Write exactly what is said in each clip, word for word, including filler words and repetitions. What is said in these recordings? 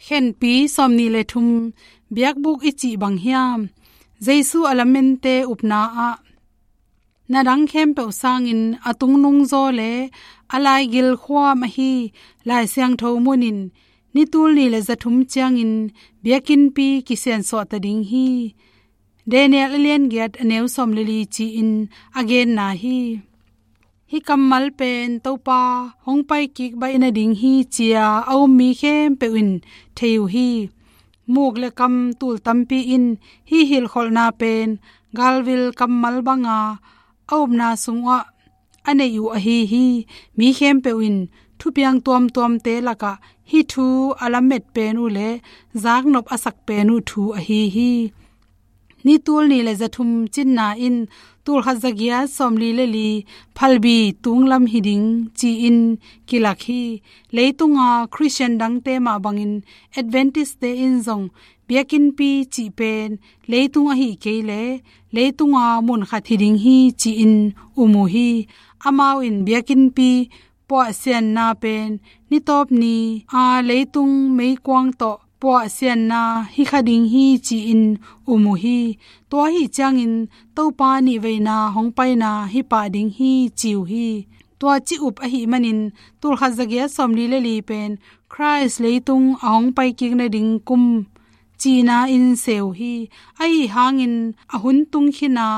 Khenpi sawmnih le thum, biakbuk i cih bang hiam? Jesu a lamente upna ah, na dang khempeuh sangin a tungnungzaw le a laigil khuam ahi Lai Siangtho munin ni tulnih le zathum ciangin biakinnpi kisiansuah ta ding hi. Daniel a lian giat a neu sawm le li ci-in a genna hi. Hih kammal pen Topa hong pai kik baih nading hi ci-a a um mi khempeuh in thei uh hi. Muk le kam tul tampi in hih hilhkholhna pen galvil kammal banga a upna sungah a neih uh ahi hi. Mi khempeuh in thupiang tuamtuamte lakah hih thu a lamet pen uh le zaknop a sak pen uh thu ahi hi. Ni tulnih le zathum cinna in tulkhat zagiat sawmli le li phalbi tunglam hi ding ci-in kilak hi. Leitunga Khristian dangte mah bangin Adventist-te in zong biakinnpi cih pen leitung ahi kei le leitunga munkhat hi ding hi ci-in um uh hi. Amau in biakinnpi puahsianna pen nitawp ni a leitung meikuang tawh puahsianna hi kha ding hi ci-in um uh hi. Tua ahi ciangin Topa nihveina hong paina hi pah ding hi ci uh hi. Tua ci up ahi manin tulkhat zagiat sawmli le li pen Khrist leitung a hong pai kik nading kum cihna in seu hi. Ahi hangin a hun tung khin a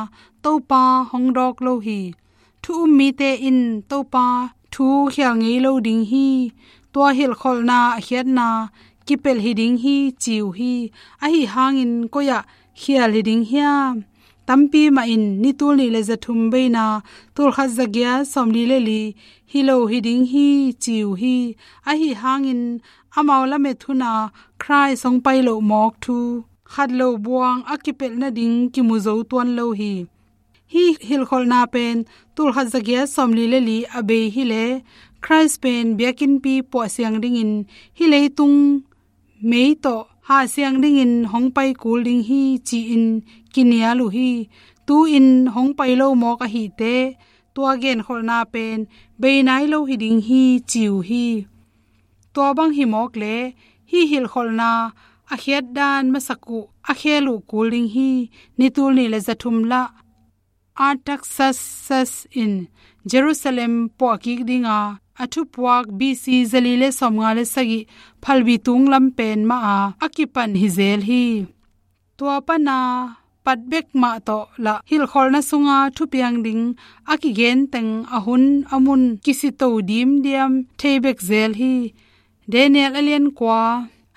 Topa hong dawk lo hi. Thu um mite in Topa thu khial ngei lo ding hi. Tua hilhkholhna a khiatna kipelh hi ding hi ci uh hi. Ahi hangin koi-ah khial hi ding hiam? Tampi mah in ni tulnih le zathum beina tulkhat zagiat sawmli le li hi lo hi ding hi ci uh hi. Ahi hangin amau lamet huna Khrist hong pai loh mawk thu khat lo buang a kipelh nading kimu zo tuan lo hi. Hih hilhkholhna pen tulkhat zagiat sawmli le li a bei hi le Khrist pen biakinnpi puahsiang dingin hih leitung mei tawh hahsiang dingin hong pai kul ding hi ci-in kinial uh hi. Tu-in hong pai lo mawk ahite tua genkholhna pen bei nai lo hi ding hi ci uh hi. Tua bang hi mawk le hih hilhkholhna a khiatdan masak uh a khel uh kul ding hi. Ni tulnih le zathum lah Artaxerxes in Jerusalem puah kik dinga a thupuak B C zali le sawmnga le sagih phalbi tunglam pen mah a a kipan hi zel hi. Tua pana pat bek mah tawh lah hilhkholhna sunga thupiang ding a kigen teng a hun a mun kisito dimdiam thei bek zel hi. Daniel a lian kua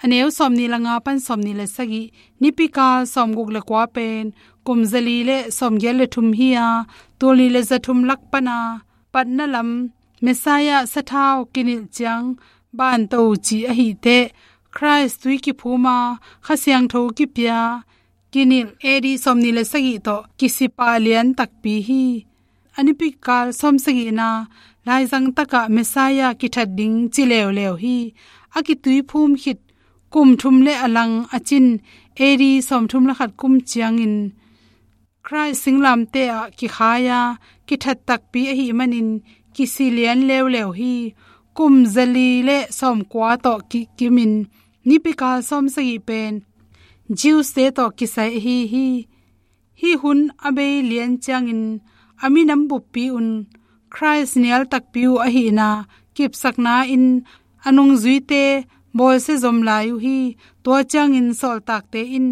a neu sawmnih le nga pan sawmnih le sagih, nipikal sawmguk le kua pen kum zali le sawmgiat le thum hi a, tulnih le zathum lak pana patna lam Messiah sathau kinilh ciang banto ci ahiteh Khrist tui kiphuma Kha Siangtho kipia kinilh A D sawmnih le sagih tawh kisipah lian takpi hi. A nipikal sawmsagihna laizang takah Messiah kithat ding ci leuleu hi. A kituiphum khit kum thum le a lang a cin A D sawmthum le khat kum ciangin Khrist singlamteh ah kikhai-a kithat takpi ahih manin kisi lian leuleu hi. Kum zali le sawmkua tawh kikimin nipikal sawmsagih pen Jews-te tawh kisai ahi hi. Hih hun a bei lian ciangin a minam buppi un Khrist nial takpi uh ahihna kipsakna in a nungzuite bawlsia zom lai uh hi. Tua ciangin sawltakte in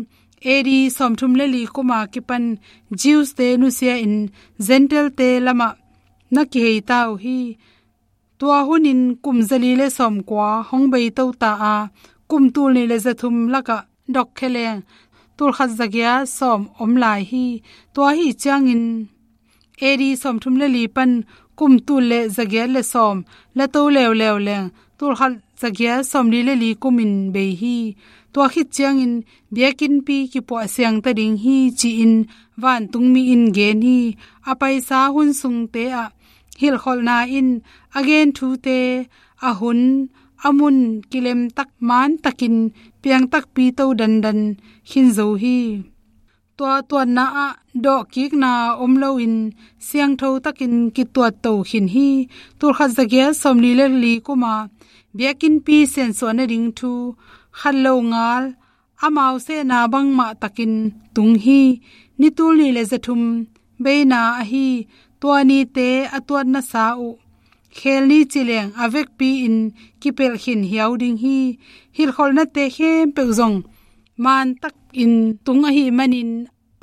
A D sawmthum le li kuma kipan Jews-te nusia-in Gentile-te lamah na kihei ta uh hi. Tua hunin kum zali le sawmkua hong beito ta a, kum tulnih le zathum lakah dokkheleng tulkhat zagiat sawm om lai hi. Tua ahi ciangin A D sawmthum le li pan kum tul le zagiat le sawm lato leuleu leng tulkhat zagiat sawmli le li kumin bei hi. Tua khit ciangin biakinnpi kipuah siangta ding hi ci-in vantungmi in gen hi. A paisa hun sungte ah hilhkholhna in a gen thute a hun a mun kilemtak mantakin piangtakpi to dandan khin zo hi. Tua tuatna ah dawhkikna om loin siangtho takin kituat to khin hi. Tulkhat zagiat sawmli le li kuma biakinnpi siansuah nading thu khat lo ngal amau sehna bangmah takin tung hi. Ni tul nih le za thum beina ahi tua nite a tuatna sa uh khel ni ci leng a vekpi-in kipelh khin hiau ding hi. Hilhkholhnate khempeuh zong maan takin tung ahih manin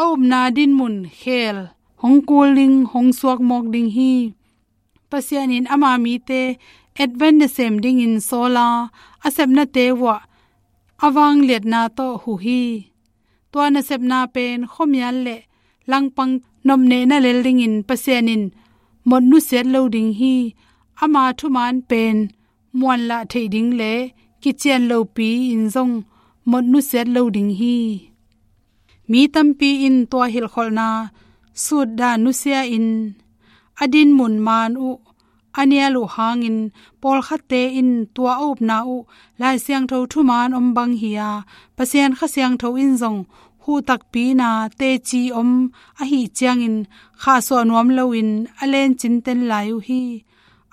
a upna dinmun khel hong kul ding, hong suak mawk ding hi. Pasian in ama mite Advent nasem dingin sawla a sepnate uah a vangliatna tawh huh hi. Tua nasepna pen khuamial le langpang nopnehna lel dingin Pasian in mot nusiat lo ding hi. Ama thuman pen muanlah theih ding le kician lopi-in zong mot nusiat lo ding hi. Mi tampi in tua hilhkholhna sutdan nusia-in a dinmun maan uh a nial uh hangin pawlkhatte in tua a upna uh Lai Siangtho thuman om bang hi-a, Pasian Kha Siangtho in zong huh takpina teci om ahih ciangin khahsuah nuam loin a lencin ten lai uh hi.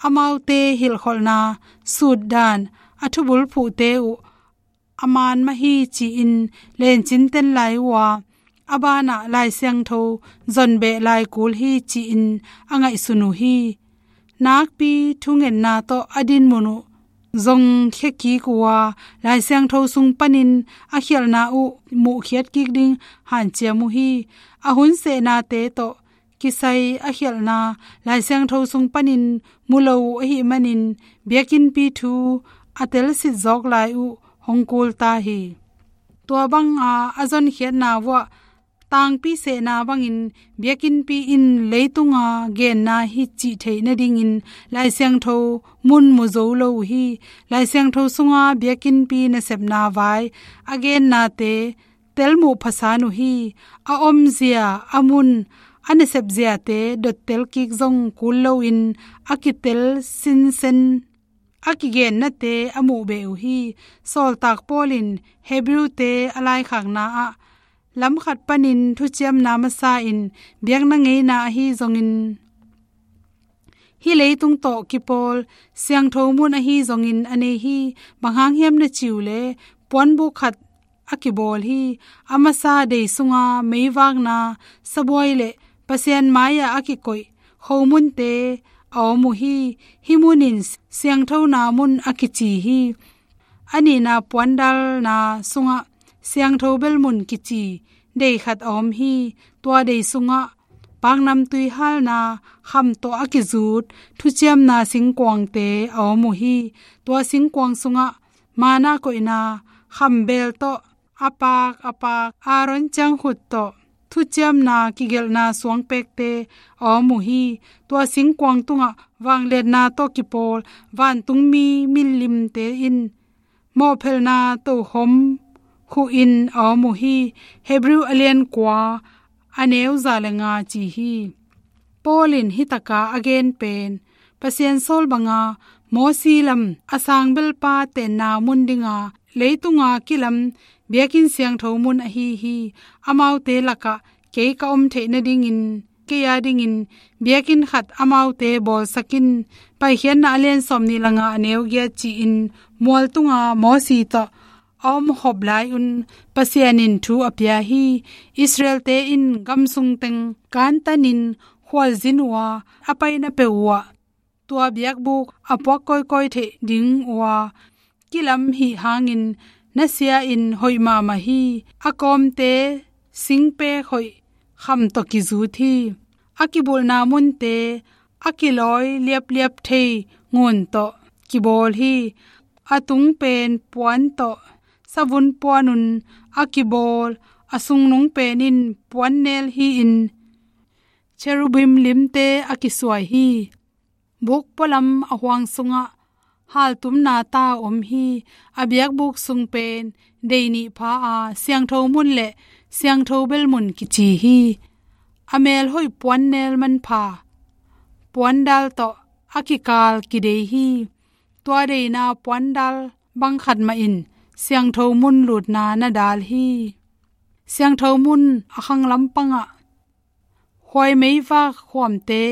Amaute hilhkholhna sutdan a thubulphuhte uh a maan mah hi ci-in lencin ten lai uh a, a banah Lai Siangtho zon beh lai kul hi ci-in a ngaihsun uh hi. Nakpi thungetna tawh a dinmun uh zong khia kik uh a, Lai Siangtho sung panin a khialhna uh muhkhiat kik ding hanciam uh hi. A hun sehnate tawh kisai a khialhna Lai Siangtho sung panin mu lo uh ahih manin biakinnpi thu a telsitzawk lai uh hong kul ta hi. Tua banga a zonkhiatna uah tangpi sehna bangin biakinnpi in leitunga genna hi cih theih nadingin Lai Siangtho mun mu zo lo uh hi. Lai Siangtho sunga biakinnpi nasepna vai a gennate telmuh phasan uh hi. A omzia, a mun, a nasepziate dottel kik zong kul loin a kitel sinsen a kigennate a muh beh uh hi. Sawltak Paul in Hebrew-te a laikhakna ah lamkhat panin thuciamna masa in biakna ngeina ahi zongin hih leitung tawh kipawl siangtho mun ahi zongin a nei hi. Bang hang hiam na cih uh leh puanbuk khat a kibawl hi. A masa dei sunga meivakna sabuai le Pasian mai-ah a kikoih khomunte a om uh hi. Hih mun in siangthona mun a kici hi. A nihna puandalna sungah siangtho belmun kici dei khat a om hi. Tua dei sungah paknamtui halna kham tawh a kizut thuciamna singkuangte a om uh hi. Tua singkuang sungah mana koihna khambel tawh a pak a pak Aaron ciangkhut tawh thuciamna kigelhna suangpekte a om uh hi. Tua singkuang tungah vangliatna tawh kipawl vantungmi milimte in mawhphelhna tokhom khuhin a om uh hi. Hebrew a lian kua a neu za le nga ci hi. Paul in hih taka a gen pen Pasian sawl banga Mosi lam a sangbelpa tenna mun dinga leitunga kilam biakinn siangtho mun ahi hi. Amaute lakah kei ka om theih nadingin kei a dingin biakinn khat amaute bawlsak in. Paikhiatna a lian sawmnih le nga a neu giat ci-in mual tunga Mosi tawh a om khop lai-un Pasian in thu a pia hi. Israel-te in gamsung teng kantanin khualzin uh a, a paina peuh uh ah tua biakbuk a puak kawikawi theih ding uh a, kilam hih hangin na sia-in hoih mahmah hi. A kawmte singpek hoih kham tawh kizut hi. A kibulhna munte a kilawi liapliap thei ngun tawh kibawl hi. A tung pen puan tawh savun puanun a kibawl, a sungnung pen in puannel hi-in cherubim limte a kisuai hi. Buk pualam a huang sungah haltumna ta a om hi. A biakbuk sung pen dei nih pha a, siangtho mun le siangtho belmun kici hi. A melhoih puannel manpha puandal tawh a kikal kidei hi. Tua deina puandal bang khat mah in siangtho mun lutna na dal hi. Siangtho mun a khang lampangah khuai meivak khuamte,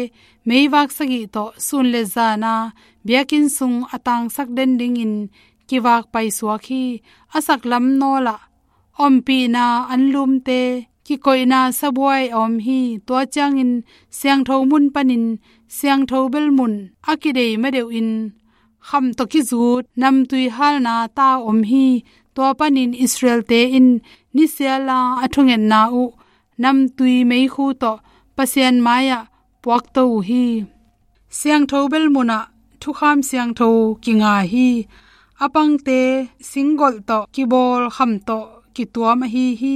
meivak sagih tawh sun le zana biakinn sung a tangsak den dingin kivak paisuak hi. A saklam nawlah ompihna anlumte, kikoihna sabuai a om hi. Tua ciangin siangtho mun panin siangtho bel mun a kidei madeuhin kham tawh kizut namtui halna ta om hi. Tua panin Israel-te in nisiala a thungetna uh namtui meikhu tawh Pasian mai-ah puakto uh hi. Siangtho bel munah thukham siangtho kinga hi. A pangte singgolh tawh kibawl kham tawh kituam ahi hi.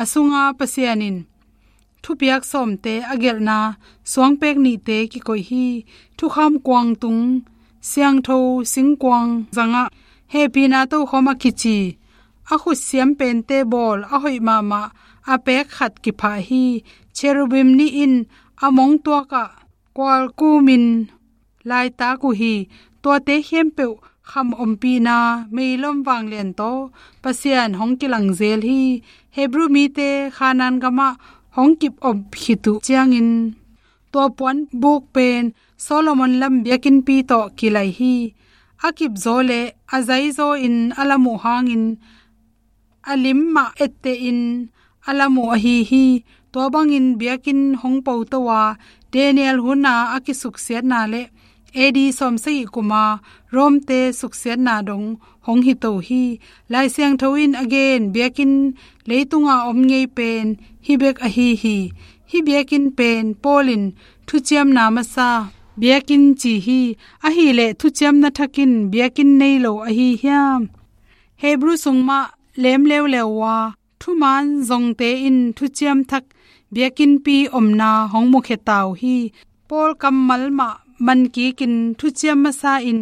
A sunga Pasian in thupiak sawmte a gelhna suangpek nihte kikoih hi. Thukham kuangtung siangtho singkuang zangah hehpihna tokhom a kici, a khutsiam pente bawl a hoih mahmah a pek khat kiphah hi. Cherubim nih in a mongtuakah kualkumin laitak uh hi. Tuate khempeuh kham ompihna meilom vanglian tawh Pasian hong kilangzel hi. Hebru mite Khanaan gamah hong kip om khit uh ciangin tua puan buk pen Solomon lam biakinnpi tawh kilai hi. A kipzaw le a zaizaw in a lam uh hangin a lim mah ettehin a lam uh ahi hi. Tua bangin biakinn hong poto a, Daniel huna a kisuksiatna le A D sawmsagih kuma Rom-te suksiatna dong hong hito hi. Lai Siangtho in a gen biakinn leitunga om ngei pen hih bek ahi hi. Hih biakinn pen Paul in thuciamna masa biakinn ci hi. Ahileh thuciamna thak in biakinn nei lo ahi hiam? Hebru sung mah lem leuleu uh a, thuman zongte in thuciam thak biakinnpi omna hong mukhia ta uh hi. Paul kammal mah mankikin thuciam masa in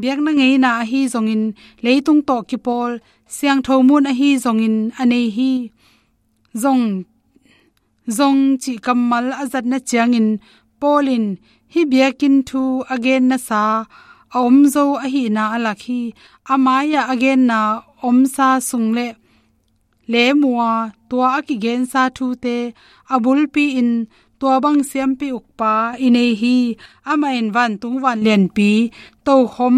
biakna ngeina ahi zongin leitung tawh kipawl siangtho mun ahi zongin a nei hi. Zong, zong cih kammal a zatna ciangin Paul in hih biakinn thu a gen nasa a om zo ahihna a lak hi. A mai-ah a genna omsa sung le lem uh a, tua a kigensa thute a bulpi in tua bang siampi ukpa i nei hi. Amah in vantung vanlianpi tokhom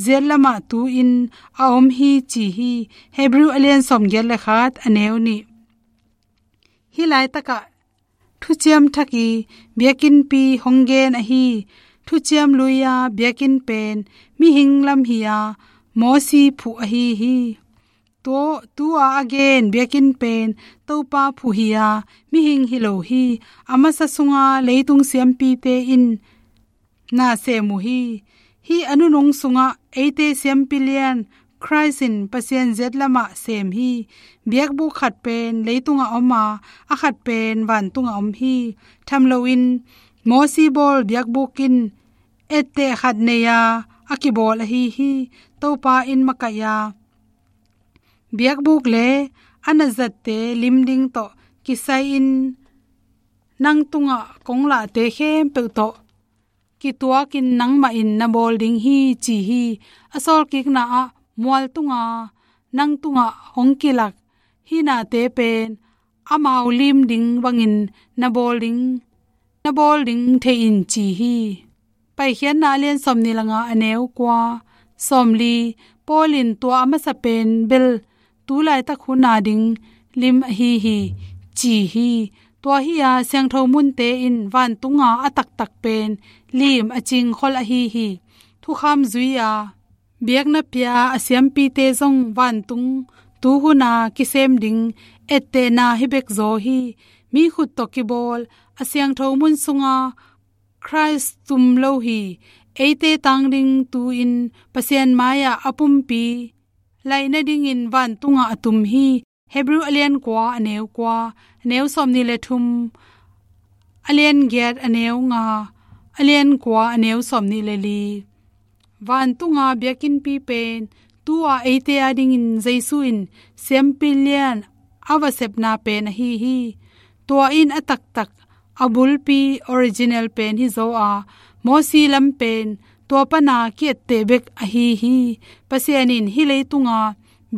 ziatlamah tu-in a om hi ci hi. Hebru a lian sawmgiat le khat a neu nih. Hih laitakah thuciam thak i biakinnpi hong gen ahi. Thuciam lui-a biakinn pen mihing lam hi-a Mosi phuh ahi hi. Tua, tua a gen biakinn pen Topa phuh hi-a mihing hi lo hi. A masa sunga leitung siampite in na sem uh hi. Hih a nunung sungah eite siampi lian Khrist in Pasian ziatlamah sem hi. Biakbuk khat pen leitungah om a, a khat pen vantungah om hi. Tham loin Mosi bawl biakbuk in etteh khat nei a, a kibawl ahi hi. Topa in makaih a, biakbuk le a na zatte lim ding tawh kisai-in nang tungah kong lahte khempeuh tawh kituakin nangmah in na bawl ding hi ci hi. A sawlkikna ah mual tunga nang tungah hong kilak hih nate pen amau lim ding bangin na bawl ding, na bawl ding thei in ci hi. Paikhiatna a lian sawmnih le nga a neu kua, sawmli, Paul in tua a masa pen bel tu laitak hun a ding lim ahi hi ci hi. Tua hi-a siangtho munte in vantunga a taktak pen lim a cingkhol ahi hi. Thukham zui-a biakna pia a siampite zong vantung tu huna kisem ding ettehna hi bek zaw hi. Mi khut tawh kibawl a siangtho mun sunga Khrist tum lo hi. Eite tang ding tu-in Pasian mai-ah a pumpi laih nadingin vantungah a tum hi. Hebru a lian kua a neu kua, a neu sawmnih le thum, a lian giat a neu nga, a lian kua a neu sawmnih le li. Vantunga biakinnpi pen tu-a eite adingin Jesu in siampi lian a va sepna pen ahi hi. Tua in a taktak, a bulpi, original pen hi zaw a, Mosi lam pen tua pana ki-etteh bek ahi hi. Pasian in hih leitunga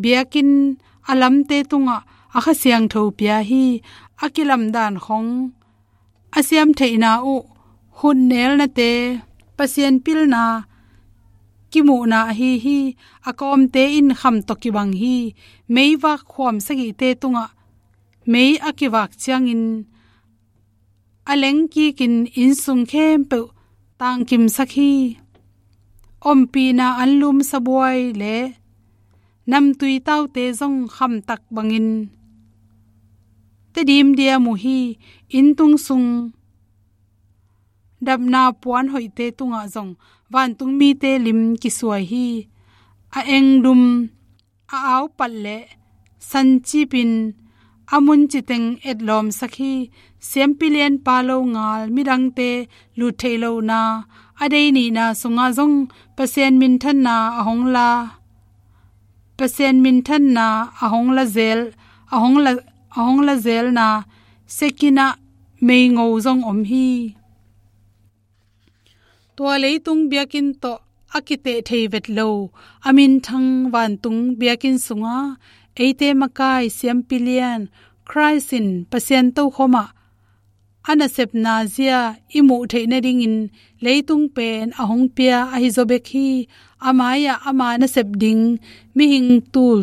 biakinn a lamte tungah a Kha Siangtho pia hi. A kilamdan khong a siamtheihna uh, khutnelnate, Pasian pilna kimuhna ahi hi. A kawmte in kham tawh kibang hi. Meivak khuam sagihte tungah mei a kivak ciangin a lengkikin innsung khempeuh tangkimsak hi. Ompihna anlum sabuai le namtui taute zong khamtak bangin Tedim diam uh hi. Inntung sung dapna puan hoihte tungah zong vantung mite lim kisuai hi. A engdum, a aupat le sancipin a munciteng etlawmsak hi. Siampi lianpa longal midangte lut theih lohna a dei nihna sungah zong Pasian minthanna a hong la Pasian minthanna a hong la zel, a hong la, a hong la zelna sekinah meingo zong om hi. Tua leitung biakinn tawh a kiteh thei vet lo a minthang vantung biakinn sunga eite makai siampi lian Khrist in Pasian tokhomah a nasepna zia i muh theih nadingin leitung pen a hong pia ahi zaw bek hi. A mai-ah ama nasep ding mihing tul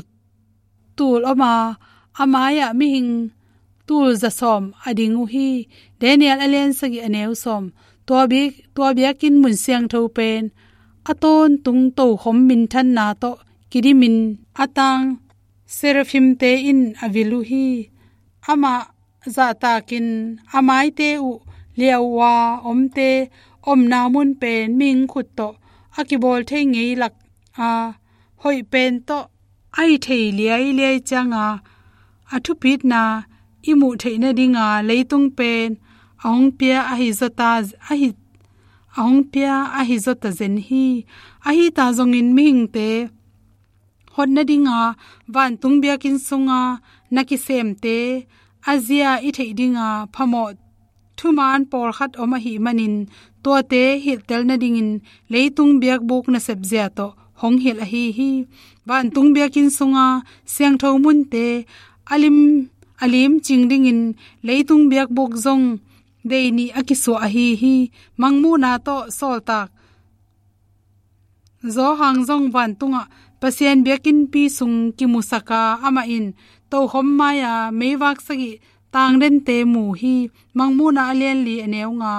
tul om a, a mai-ah mihing tul za sawm a ding uh hi. Daniel a lian sagih a neu sawm. Tua biak, tua biakinn mun siangtho pen a tawntung tokhom minthanna tawh kidimin a tang seraphimte in a vil uh hi. Amah zahtakin a maite uh liauh a omte omna mun pen mihing khut tawh a kibawl thei ngei lak a, hoih pen tawh a hi thei liailiai cianga a thupitna i muh theih nadinga leitung pen a hong pia ahi zawta ahi a hong pia ahi zawta zen hi. Ahi ta zongin mihingte hot nadinga vantung biakinn sunga na kisemte a zia i theih dinga phamawh thuman pawlkhat om ahih manin tuate hilhtel nadingin leitung biakbuk nasep zia tawh hong hilh ahi hi. Vantung biakinn sunga siangtho munte a lim a lim cing dingin leitung biakbuk zong dei nih a kisuah ahi hi. Mangmuhna tawh sawltak Zawhang zong vantungah Pasian biakinnpi sung kimusaka amah in tokhom mai-a meivak sagih tangdente mu hi. Mangmuhna a lianli a neu nga.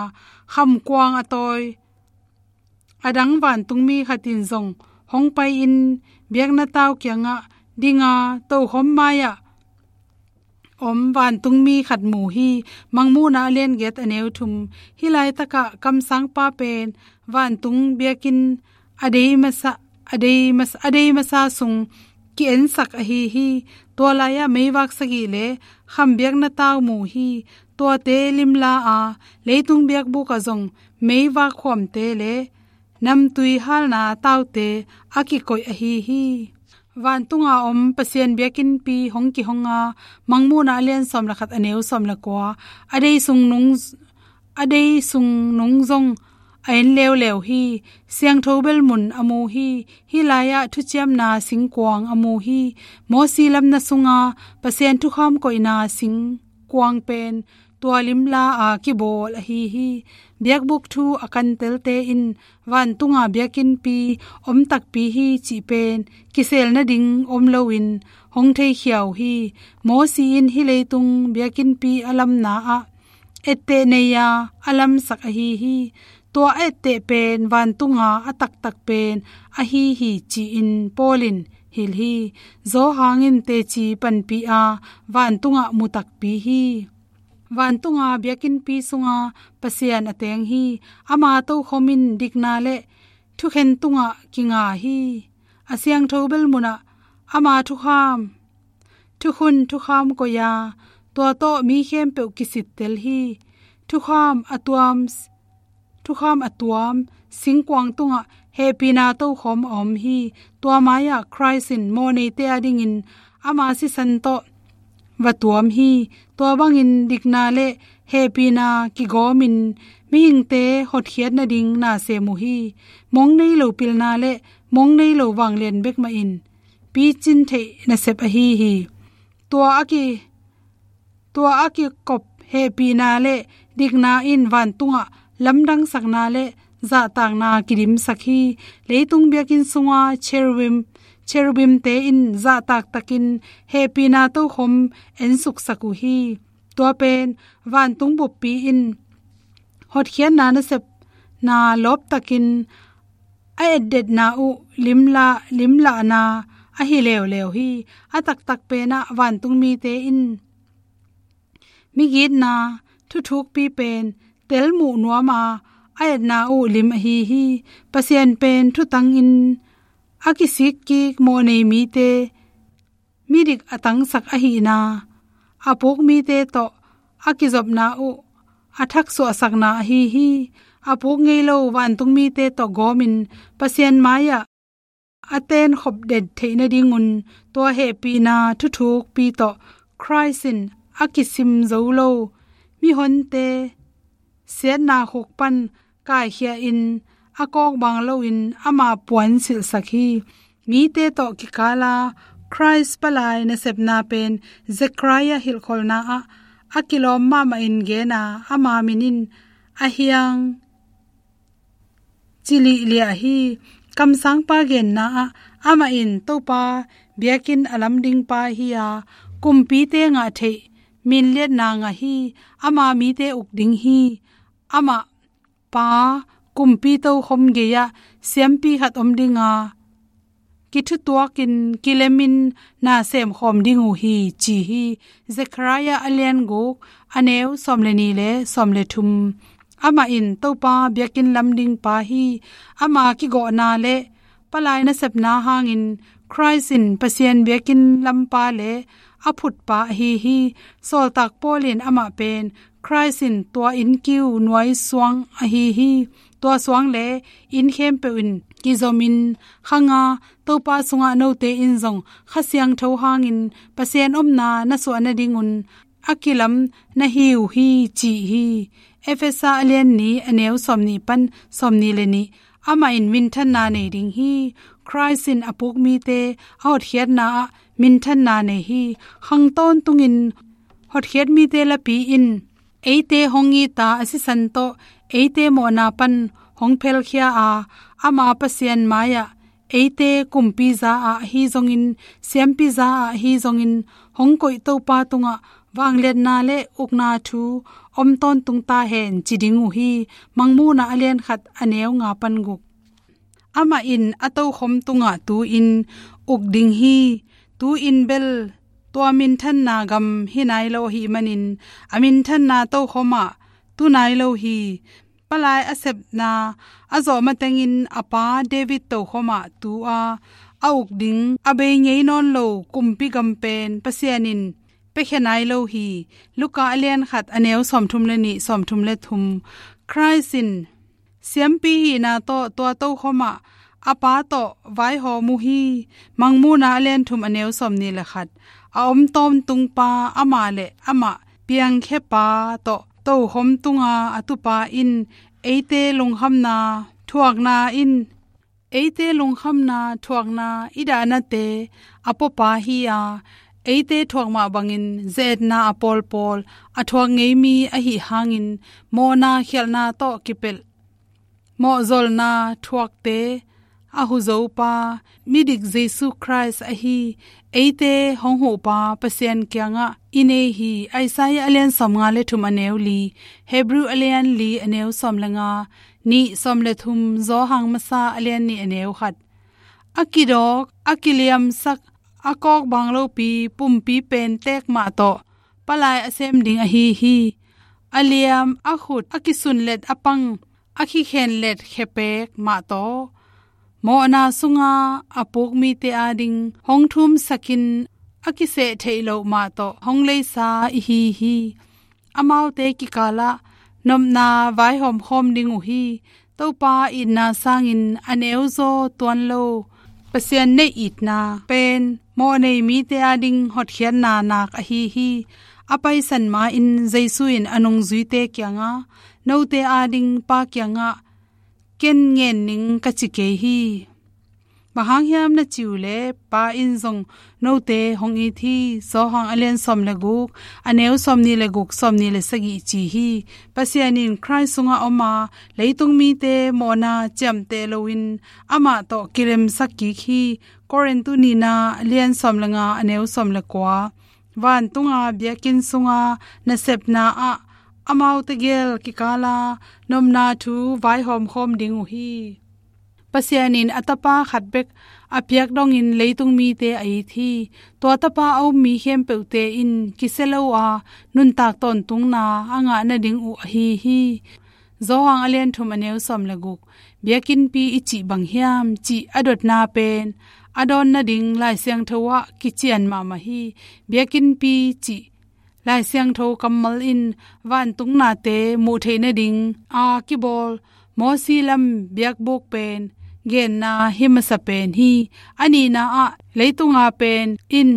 Khamkuang a tawi a dang vantungmi khat in zong hong pai-in biakna tau kiangah dinga tokhom mai-ah om vantungmi khat mu hi. Mangmuhna a lian giat a neu thum. Hih laitakah kamsangpa pen vantung biakinn a dei masa a dei masa, a dei masa sung ki-ensak ahi hi. Tua lai-ah meivak sagih le kham biakna tau mu hi. Tuate limla a leitung biakbuk ah zong meivak khuamte le namtui halna taute a kikoih ahi hi. Vantunga om Pasian biakinnpi hong kihonga. Mangmuhna a lian sawm le khat a neu sawm le kua. A dei sung nung a dei sung nung zong a en leuleu hi. Siangtho bel mun a mu hi. Hih lai-ah thuciamna singkuang a mu hi. Mawsi lamna sunga Pasian thukham koihna singkuang pen tua limla a kibawl ahi hi. Biakbuk thu a kantelte in vantunga biakinnpi om takpi hi cih pen kisel nading om loin hong theikhia uh hi. Mawsi in hih leitung biakinnpi a lamna ah etteh nei-a a lamsak ahi hi. Tua a etteh pen vantunga a taktak pen ahi hi ci-in Paul in hilh hi. Zawhang in teci panpih a vantungah mu takpi hi. Vantunga biakinnpi sunga Pasian a teng hi. Ama tokhom in dikna le thukhen tungah kinga hi. A siangtho bel munah ama thukham thukhun thukham koih-a tua tawh mi khempeuh kisittel hi. Thukham a tuam thukham a tuam singkuang tungah hehpihna tokhom a om hi. Tua mai-ah Khrist in mawhneite adingin ama sisan tawh va tuam hi. Tua bangin dikna le hehpihna kigawmin mihingte hotkhiat nading na sem uh hi. Mong nei lo pilna le mong nei lo vanglian bek mah in picin theih nasep ahi hi. Tua a ki tua a kikop hehpihna le dikna in vantungah lamdangsakna le zahtakna kidimsak hi. Leitung biakinn sunga cherubim, cherubimte in zahtak takin hehpihna tokhom ensuksak uh hi. Tua pen vantung buppi in hotkhiatna nasepna lawptakin a etdetna uh limla, limlahna ahi leuleu hi. A taktak penah vantung mite in migitna thuthukpi pen telmuh nuama a etna uh lim ahi hi. Pasian pen thutangin a kisikkik mawhnei mite midik a tangsak ahihna, a puk mite tawh a kizopna uh a thaksuahsakna ahi hi. A puk ngei lo vantung mite tawh gawmin Pasian mai-ah a tenkhop den theih nadingun tua hehpihna thuthukpi tawh Khrist in a kisim zo lo mihonte siatna khuk pan kaikhia in a kawkbang loin ama puansilhsak hi. Mite tawh kikala Khrist palai nasepna pen Zechariah hilhkholhna ah a kilawm mahmahin gena ama min in a hiang ci lihliah hi. Kamsangpa genna ah amah in Topa biakinn a lam dingpa hi-a kumpite ngah theih minliatna ngah hi. Ama mite uk ding hi. Amah Pa kumpi tokhom gei-ah siampi khat om dinga kithutuakin kilemin na semkhawm ding uh hi ci hi. Zechariah a lian guk a neu sawm le ni le sawm le thum. Amah in Topa biakinn lam dingpa hi. Ama kigawhna le palai nasepna hangin Khrist in Pasian biakinn lampa le a phutpa ahi hi. Sawltak Paul in amah pen Khrist in tua innkiu nuai suang ahi hi. Tua suang le inn khempeuh in kizomin khanga Topa sungah note in zong Kha Siangtho hangin Pasian omna na suah nadingun a kilam na hi uh hi ci hi. Efesa a lian ni a neu sawm ni pan sawm ni le ni. Amah in minthanna nei ding hi. Khrist in a puk mite a hotkhiatna ah minthanna nei hi. Khang tawntungin hotkhiat mite lapi in eite hong ita a sisan tawh eite mawhna pan hong phelkhia a ama Pasian mai-ah eite kumpi za-ah ahi zongin siampi za-ah ahi zongin hong koih Topa tungah vangliatna le ukna thu om tawntung ta hen ci ding uh hi. Mangmuhna a lian khat a neu nga pan guk. Amah in a tokhom tungah tu-in uk ding hi. Tu-in bel tua minthanna gam hi nai lo ahih manin a minthanna tokhom ah tu nai lo hi. Palai a sepna a zawh matengin a pa David tokhom ah tu-a a uk ding a bei ngei nawn lo kumpi gam pen Pasian in piakhia nai lo hi. Luka a lian khat a neu sawmthum le nih, sawmthum le thum. Khrist in siampi hihna tawh tua tokhom ah a pa tawh vaihawm uh hi. Mangmuhna a lian thum a neu sawm ni le khat. A om tawntungpa amah le amah piangkhiapa tawh tokhom tunga a tupa in eite lungkhamna thuakna in eite lungkhamna thuakna i dahnate a puapa hi-a eite thuak mah bangin ze-etna a pawlpawl a thuak ngei mi ahi hangin mawhna khialhna tawh kipelh mawhzolna thuakte a huzopa midik Jesu Khrist ahi eite hong huhpa Pasian kiangah i nei hi. Isaiah a lian sawmnga le thum a neu li, Hebrew a lian li a neu sawm le nga, nih sawm le thum, Johan masa a lian nih a neu khat. A kidawk a kiliamsak a kawkbang lopi pumpi pen teek mah tawh palai a sem ding ahi hi. A liam a khut a kisunlet a pang a kikhenlet khepek mah tawh mawhna sunga a puk mite ading hong thumsakin a kiseh theih loh mah tawh hong leisa i hi hi. Amaute kikalah nopna vaihawm khawm ding uh hi. Topa itna sangin a neuzaw tuan lo Pasian neih itna pen mawhnei mite ading hotkhiatna nak ahi hi. A paisan ma-in Jesu in a nungzuite kiangah, note ading Pa kiangah ken ngen ning ka ci kei hi. Bang hang hiam na ci uh leh, Pa in zong note hong it hi. Johan a lian sawm le guk, a neu sawmnih le guk, sawmnih le sagih ci hi. Pasian in Khrih sungah om a, leitung mite mawhna ciamteh loin amah tawh kilemsak kik hi. Korin nihna a lian sawm le nga, a neu sawm le kua. Vantunga biakinn sunga nasepna ah amaute gel kikala nopna thu vaihawm khawm ding uh hi. Pasian in a Tapa khat bek a piak dongin leitung mite a it hi. Tua Tapa a um mi khempeuhte in kisia lo a nuntak tawntungna a ngah nading uh ahi hi. Johan a lian thum, a neu sawm le guk. Biakinnpi i cih bang hiam cih a dotna pen a dawn nading Lai Siangtho ah kician mahmah hi. Biakinnpi cih Lai Siangtho kammal in vantung nate muh theih nading a kibawl Mosi lam biakbuk pen genna hi masa pen hi. A nihna ah leitunga pen in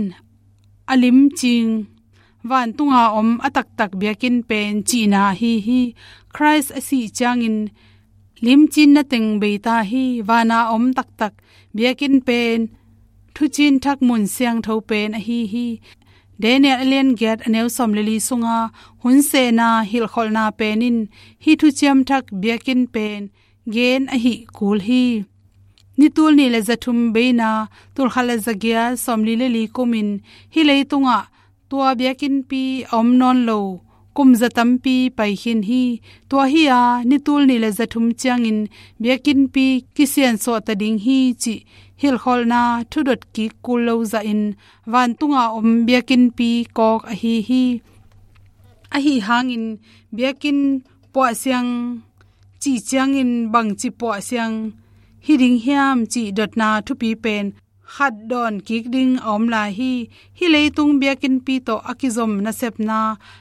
a limcing, vantunga om a taktak biakinn pen cihna ahi hi. Khrih a sih ciangin limcinna teng bei ta hi. Vana om taktak biakinn pen thucin thak mun siangtho pen ahi hi. Daniel a lian giat, a neu sawm le li sunga hun sehna hilhkholhna pen in hih thuciam thak biakinn pen gen ahi kul hi. Ni tul nih le za thum beina, tul khat le za giat sawmli le li kumin hih leitungah tua biakinnpi a om nawn lo kum za tampi pai khin hi. Tua hi a, ni tul nih le za thum ciangin biakinnpi kisiansuah ta ding hi cih hilhkholhna thudot kik kul lo zahin vantunga om biakinnpi kawk ahi hi. Ahi hangin biakinn puahsiang cih ciangin bangci puahsiang hi ding hiam cih dotna thupi pen khat dawn kik ding a om lai hi. Hih leitung biakinnpi tawh a kizom nasepna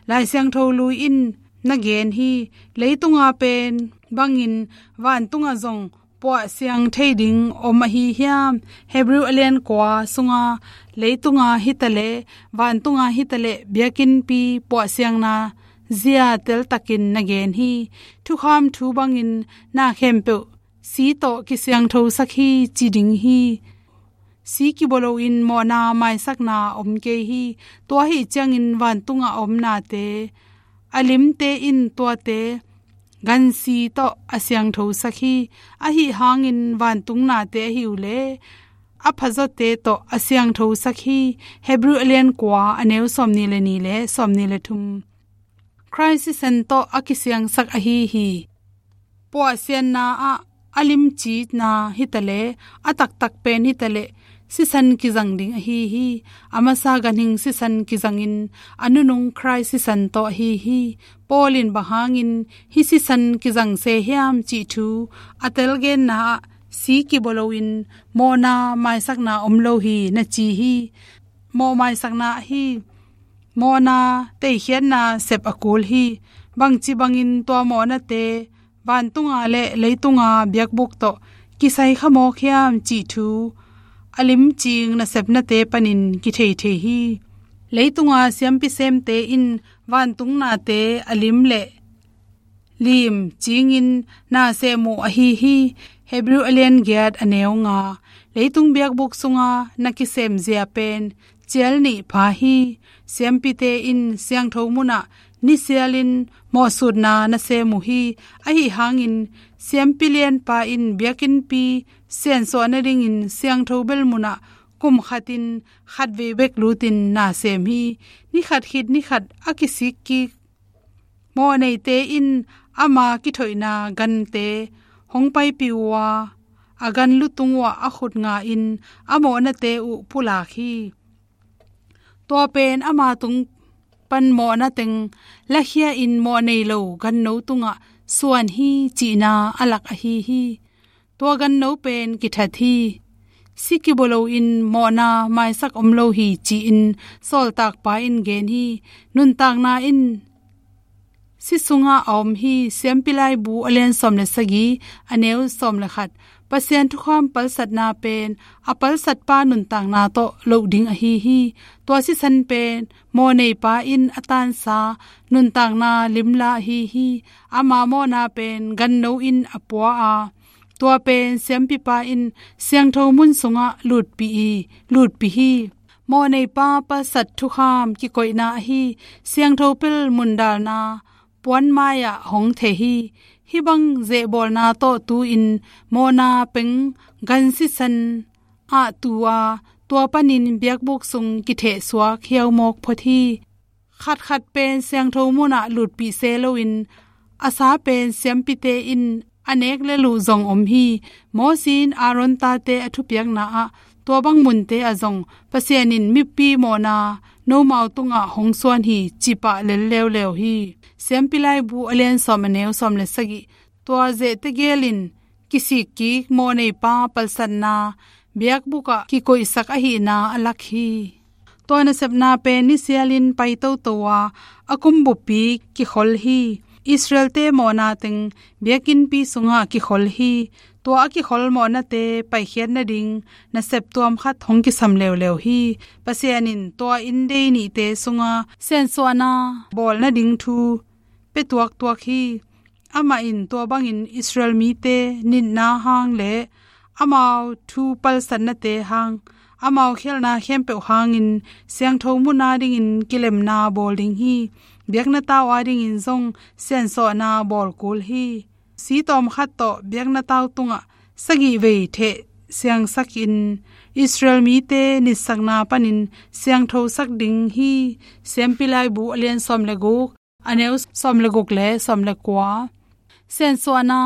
Lai Siangtho lui in na gen hi. Leitunga pen bangin vantunga zong puahsiang thei ding om ahi hiam? Hebrew a lian kua sunga leitunga hitaleh vantunga hitaleh biakinnpi puahsiangna zia teltakin na gen hi. Thukham thu bangin na khempeuh si tawh kisiangthosak hi ci ding hi. Si kibaw loin mawhna maisakna om kei hi. Tua ahi ciangin vantunga a om nate, a limte in tuate gansi tawh a siangthosak hi. Ahi hangin vantung nate ahi uh leh a phazawte tawh a siangthosak hi. Hebrew a lian kua, a neu sawmnih le nih le sawmnih le thum. Khrih sisan tawh a kisiangsak ahi hi. Puahsianna ah a limcina hitaleh a taktak pen hitaleh sisan kizang ding ahi hi. A masa ganhing sisan kizangin a nunung Khrih sisan tawh ahi hi. Paul in bang hangin hih sisan kizang se hiam cih thu a telgenna ah si kibaw loin mawhna maisakna om lo hi na ci hi. Mawh maisakna ahi mawhna teikhiatna sep a kul hi. Bangci bangin tua mawhnate vantunga le leitunga biakbuk tawh kisai kha mawk hiam cih thu a limcing nasepnate panin kithei thei hi. Leitunga siampi semte in vantung nate a lim le lim cingin na sem uh ahi hi. Hebrew a lian giat, a neu nga. Leitung biakbuk sunga na kisem zia pen cial nih pha hi. Siampite in siangtho munah nisialin mawhsutna na sem uh hi. Ahi hangin siampi lianpa in biakinnpi siansuah nadingin siangtho bel munah kum khatin khatvei bek lutin na sem hi. Ni khat khit ni khat a kisik kik mawhneite in ama kithoihna gante hong paipih uh a, a gan lutung uhah a khut nga in a mawhnate uh pulak hi. Tua pen ama tung pan mawhna teng lakhia in mawh nei lo ganno tungah suan hi cihna a lak ahi hi. Tua ganno pen kithat hi. Si kibaw loin mawhna maisak om lo hi ci-in sawltakpa in gen hi. Nuntakna in si sungah a om hi. Siampi Laibu a lian sawm le sagih, a neu sawm le khat. Pasian thukham palsatna pen a palsatpa nuntakna tawh loh ding ahi hi. Tua sisan pen mawhneipa in a tansa nuntakna limla ahi hi. Ama mawhna pen ganno in a pua a, Tua pen siampipa in siangtho mun sungah lutpih hi, lutpih hi. Mawhneipa palsat thukham kikoihna ahi siangtho pel mundalna puanmai-ah hong theh hi. Hih bang zehbawlna tawh tu-in mawhna peng gan sisan ah tu a, tua panin biakbuk sung kithehsuak hiaumawk phot hi. Khatkhat pen siangtho munah lutpih se loin a sa pen siampite in a nek lel uh zong om hi. Mosi in Aaron tate a thupiakna ah tua bang munte ah zong Pasian in mipi mawhna nomau tungah hong suan hi, cih pah lel leuleu hi. Siampi Laibu a lian sawm, a neu sawm le sagih. Tua zehte gel in kisik kik mawhneipa palsatna biakbuk ah kikoihsak ahihna a lak hi. Tua nasepna pen nisialin pai toto a, a kum buppi kikhol hi. Israelte mawhna teng biakinnpi sungah kikhol hi. Tua a kikhol mawhnate paikhiat nading nasep tuam khat hong kisam leuleu hi. Pasian in tua inndei nihte sunga siansuahna bawl nading thu pia tuaktuak hi. Amah in tua bangin Israel mite nitna hang le amau thu palsatnate hang, amau khialhna khempeuh hangin siangtho mun adingin kilemna bawl ding hi. Biakna tau adingin zong siansuahna bawl kul hi. Si tawm khat tawh biakna tau tungah sagih vei theh siangsakin Israel mite nitsakna panin siangthosak ding hi. Siampi Laibu a lian sawm le guk, a neu sawm le guk le sawm le kua. Siansuahna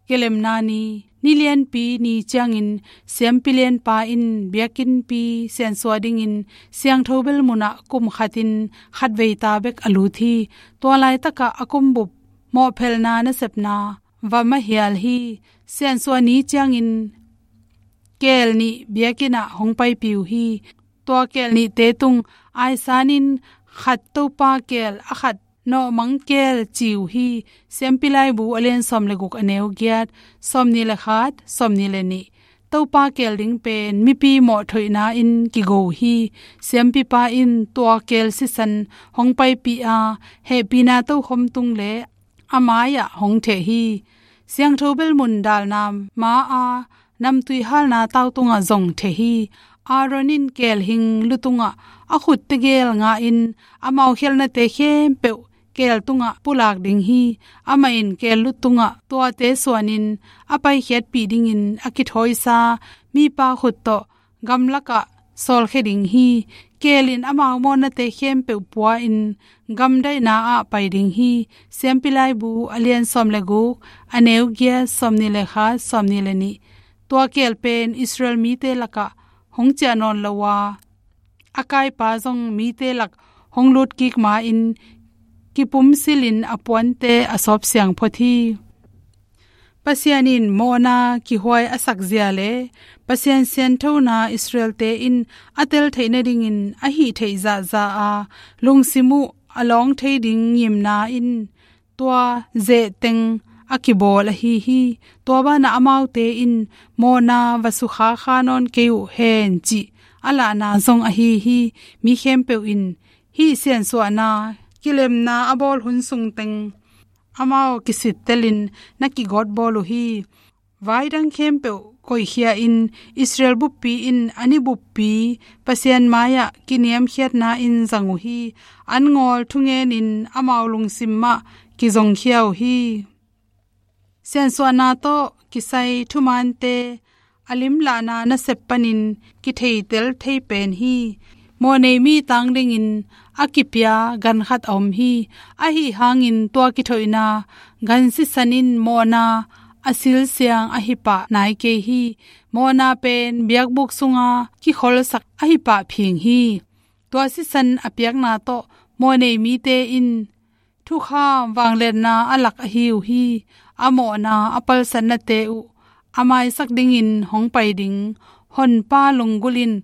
kilemna ni, ni lianpi ni ciangin siampi lianpa in biakinnpi siansuah dingin siangtho bel munah kum khatin khatvei ta bek a lut hi. Tua laitakah a kumbup mawhphelhna nasepna va mahial hi. Siansuah ni ciangin keel nih biakinn ah hong paipih uh hi. Tua keel nihte tung aisanin khat Topa keel, a khat nawhmang keel ci uh hi. Siampi Laibu a lian sawm le guk, a neu giat, sawmnih le khat, sawmnih le nih. Topa keel ding pen mipi mawhthoihna in kigo uh hi. Siampipa in tua keel sisan hong paipih a, hehpihna tokhom tung le a mai-ah hong theh hi. Siangtho bel mundalna ma-a namtui halna tau tungah zong theh hi. Aaron in keel hing lu tungah a khut tegel ngahin amau khialhnate khempeuh keel tungah pulak ding hi. Amah in keel lu tungah tuate suanin a paikhiatpih dingin a kithawisa mipa khut tawh gamlakah sawlkhia ding hi. Keel in amau mawhnate khempeuh pua-in gamdaihna ah pai ding hi. Siampi Laibu a lian sawm le guk, a neu giat, sawmnih le khat, sawmnih le nih. Tua keel pen Israel mite lakah hong ciah nawn lo a, a kaipa zong mite lak hong lutkik ma-in kipumsilin a puante a sawp siang phot hi. Pasian in mawhna kihuai a sakzia le Pasian sianthona Israelte in a tel theih nadingin a hih theih zahzah a lungsim uh a lawng thei ding ngimna in tua zeh teng a kibawl ahi hi. Tua banah amaute in mawhna va sukha kha nawn kei uh hen cih a lahna zong ahi hi. Mi khempeuh in hih siansuahna kilemna a bawl hun sung teng amau kisittelin na kigawtbawl uh hi. Vai dang khempeuh koihkhia-in Israel buppi in a ni buppi Pasian mai-ah kiniamkhiatna in zang uh hi. An ngawl thungenin amau lungsim mah kizongkhia uh hi. Siansuahna tawh kisai thumaante a limlahna nasep panin kitheitel thei pen hi. Mawhnei mi tang dingin a kipia gan khat a om hi. Ahi hangin tua kithoihna gan sisan in mawhna a silsiang ahi pah nai kei hi. Mawhna pen biakbuk sunga kikholsak ahi pah phing hi. Tua sisan a piakna tawh mawhnei mite in thukham vangliatna a lak ahi uh hi. A mawhna a palsatnate uh a maisak dingin hong pai ding Honpa lunggulh in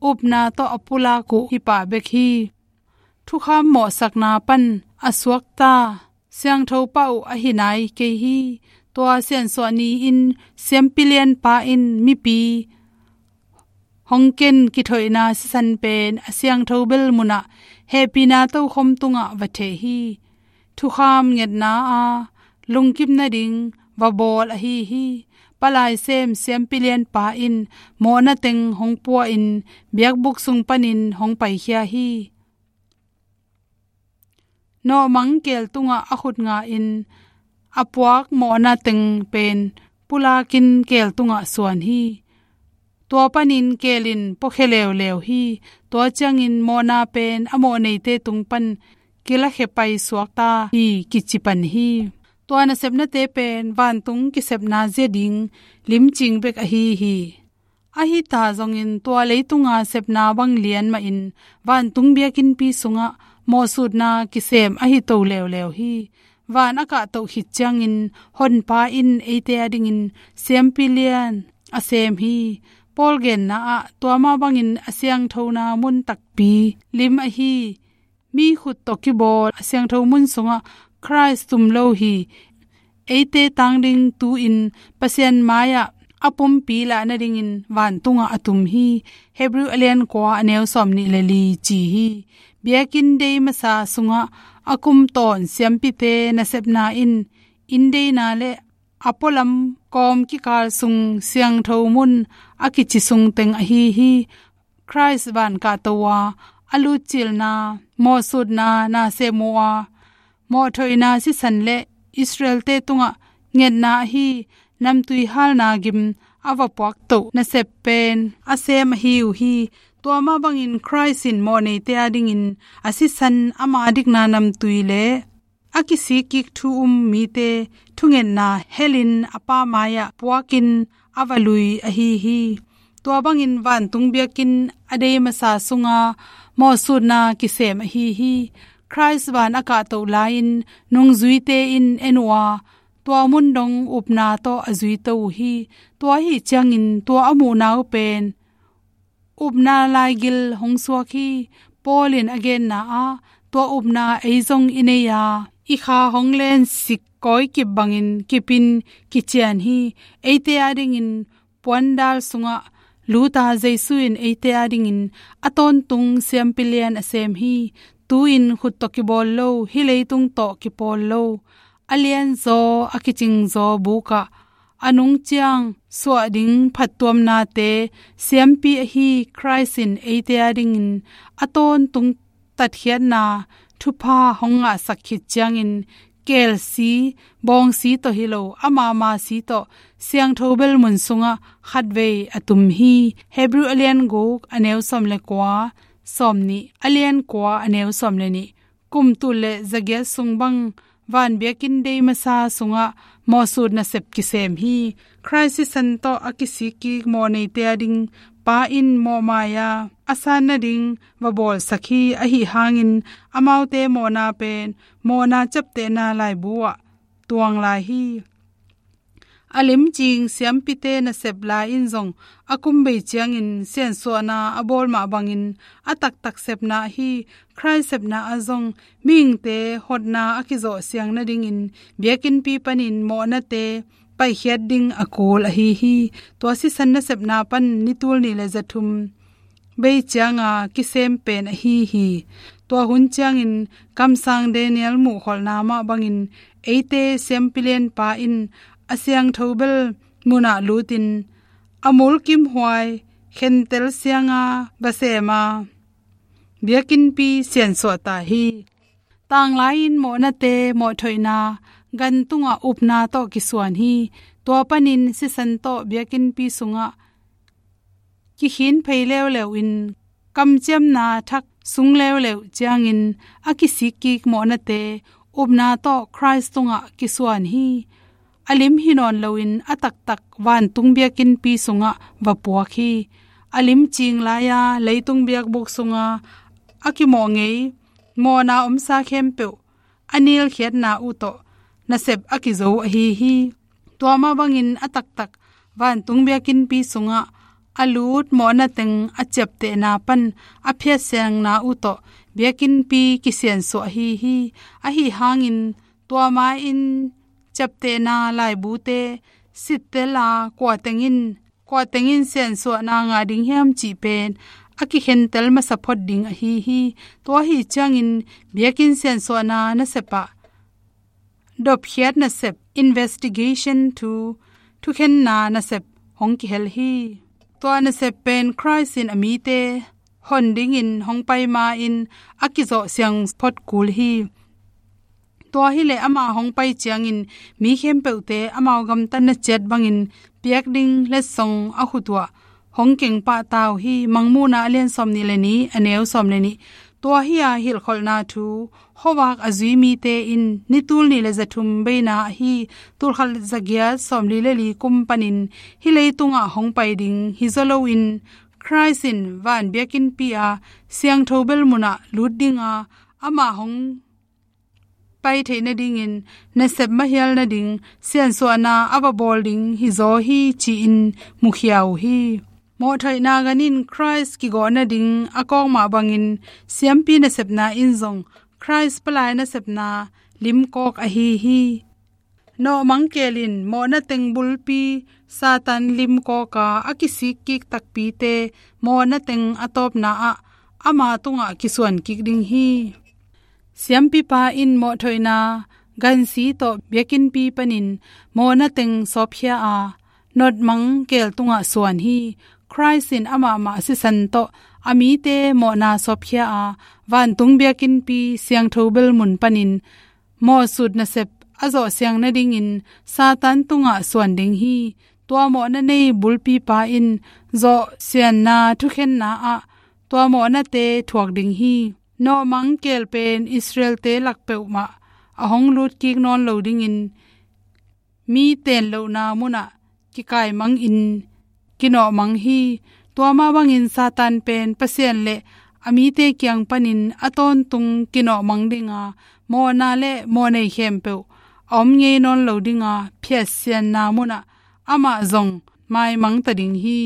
upna tawh a pulak uh hi pah bek hi. Thukham mawhsakna pan a suakta siangtho pah uh ahi nai kei hi. Tua siansuah ni-in siampi lianpa in mipi hong ken kithoihna sisan pen a siangtho bel munah hehpihna tokhom tungah va theh hi. Thukham ngetna a lungkim nading va bawl ahi hi. Palai sem siampi lianpa in mawhna teng hong pua-in biakbuk sung panin hong paikhia hi. Nawhmang keel tungah a khut nga-in a puak mawhna teng pen pulakin keel tungah suan hi. Tua panin keel in puakhia leuleu hi. Tua ciangin mawhna pen a mawh neite tung pan kilakhia pai suakta hi kici pan hi. Tua nasepnate pen vantung kisepna zia ding limcing bek ahi hi. Ahi ta zongin tua leitunga sepna bang lian mahin vantung biakinnpi sungah mawhsutna kisem ahi to leuleu hi. Van a kahtoh khit ciangin Honpa in eite adingin siampi lian a sem hi. Paul genna ah tua mah bangin a siangthona mun takpi lim ahi mi khut tawh kibawl a siangtho mun sungah Khrist tum lo hi. Eite tang ding tu-in Pasian mai-ah a pumpi lah nadingin vantungah a tum hi. Hebrew a lian kua a neu sawm nih le li ci hi. Biakinn dei masa sungah a kum tawn siampite nasepna in inn deina le a pualam kawm kikal sung siangtho mun a kici sung teng ahi hi. Khrist van kahto a, a lutcilna, mawhsutna na sem uh a, mawhthoihna sisan le Israelte tungah ngetna ahi namtui halna gim a va puaktoh nasep pen a sem ahi uh hi. Tua mah bangin Khrist in mawh neite adingin a sisan ama dikna namtui le a kisikkik thu um mite thungetna helin a Pa mai-ah puakin a va lui ahi hi. Tua bangin vantung biakinn a dei masa sunga mawhsutna kisem ahi hi. Khrist van a kahtoh lai-in nungzuite in en uh a, tua mun dong upna tawh a zuito uh hi. Tua ahi ciangin tua a muhna uh pen upna laigil hong suak hi. Paul in a genna ah tua upna ei zong i nei a, i kha hong len sik kawikip bangin kipin kician hi. Eite adingin puandal sungah luta Jesu in eite adingin a tawntung siampi lian a sem hi. Tu-in khut tawh kibawl lo, hih leitung tawh kipawl lo, a lianzaw a kicingzaw bukah a nungciang suah ding phattuamnate siampi ahi Khrist in eite adingin a tawntung tatkhiatna thupha hong ngahsak khit ciangin kelsi, bawngsi tawh hi lo, amahmah si tawh siangtho bel mun sungah khatvei a tum hi. Hebrew a lian guk a neu sawm le kua, sawm nih, a lian kua a neu sawm le nih, kum tul le zagiat sung bang van biakinn dei masa sungah mawhsut nasep kisem hi. Khrist sisan tawh a kisikkik mawh neite ading Pa in mawhmai-a a san nading va bawlsak hi. Ahi hangin amaute mawhna pen mawhna ciaptehna laibu ah tuang lai hi. A limcing siampite nasep lai in zong a kum bei ciangin siansuahna a bawl mah bangin a taktak sepna ahi Khrist sepna ah zong mihingte hotna a kizawh siang nadingin biakinnpi panin mawhnate paikhiat ding a kul ahi hi. Tua sisan nasepna pan ni tul nih le zathum bei cianga kisem pen ahi hi. Tua hun ciangin kamsang Daniel muhkholhna mah bangin eite siampi lianpa in a siangtho bel munah lutin a mulkimhuai khentel sianga va sem a biakinnpi siansuah ta hi. Tanglai-in mawhnate mawhthoihna gan tungah upna tawh kisuan hi. Tua panin sisan tawh biakinnpi sungah kikhin phei leuleu in kamciamna thak sung leuleu ciangin a kisikkik mawhnate upna tawh Khrist tungah kisuan hi. A lim hi nawn loin a taktak vantung biakinnpi sungah va puak hi. A limcing lai-a leitung biakbuk sunga a kimawh ngei mawhna omsa khempeuh a nilkhiatna uh tawh nasep a kizo ahi hi. Tua mah bangin a taktak vantung biakinnpi sungah a lut mawhna teng a ciaptehna pan a phiatsiangna uh tawh biakinnpi kisiansuah ahi hi. Ahi hangin tua ma-in ciaptehna laibute sittel a kua teng in kua teng in siansuahna ngah ding hiam cih pen a kikhentel masa phot ding ahi hi. Tua ahi ciangin biakinn siansuahna nasep ah dopkhiat nasep, investigation to thukhenna nasep hong kihel hi. Tua nasep pen Khrist in a mite hon dingin hong pai ma-in a kizawh siang phot kul hi. Tua hileh ama hong pai ciangin mi khempeuhte amau gamtatna ciat bangin piak ding letsong a khut uah hong keng pah ta uh hi. Mangmuhna a lian sawmnih le nih, a neu sawm le nih. Tua hi-a hilhkholhna thu khuavak a zui mite in ni tul nih le za thum beina ahi tul khat za giat sawmli le li kum panin hih leitungah hong pai ding hi zaw loin, Khrist in van biakinnpi-a siangtho bel munah lut dinga, amah hong pai theih nadingin nasep mahial nading siansuahna a va bawl ding hi zaw hi, ci-in mukhia uh hi. Mawhthoihna gan in Khrist kigawh nading a kawk mah bangin siampi nasepna in zong Khrist palai nasepna limkawk ahi hi. Nawhmang keel in mawhna teng bulpi Satan limkawka a kisik kik takpite mawhna teng a tawpna ah ama tungah kisuan kik ding hi. Siampipa in mawhthoihna gansi tawh biakinnpi panin mawhna teng sawpkhia a, nawhmang keel tungah suan hi. Khrist in amah mah sisan tawh a mite mawhna sawpkhia a, vantung biakinnpi siangtho bel mun panin mawhsut nasep a zawh siang nadingin Satan tungah suan ding hi. Tua mawhna nei bulpipa in zawh sianna thukhenna ah tua mawhnate thuak ding hi. Nawhmang keel pen Israel-te lak peuhmah a hong lut kik nawn lo dingin mi teenlohna munah kikaimangin kinawhmang hi. Tua mah bangin Satan pen Pasian le a mite kiang panin a tawntung kinawhmang dinga, mawhna le mawhnei khempeuh a om ngei nawn lo dinga, phiatsianna munah amah zong maimang ta ding hi.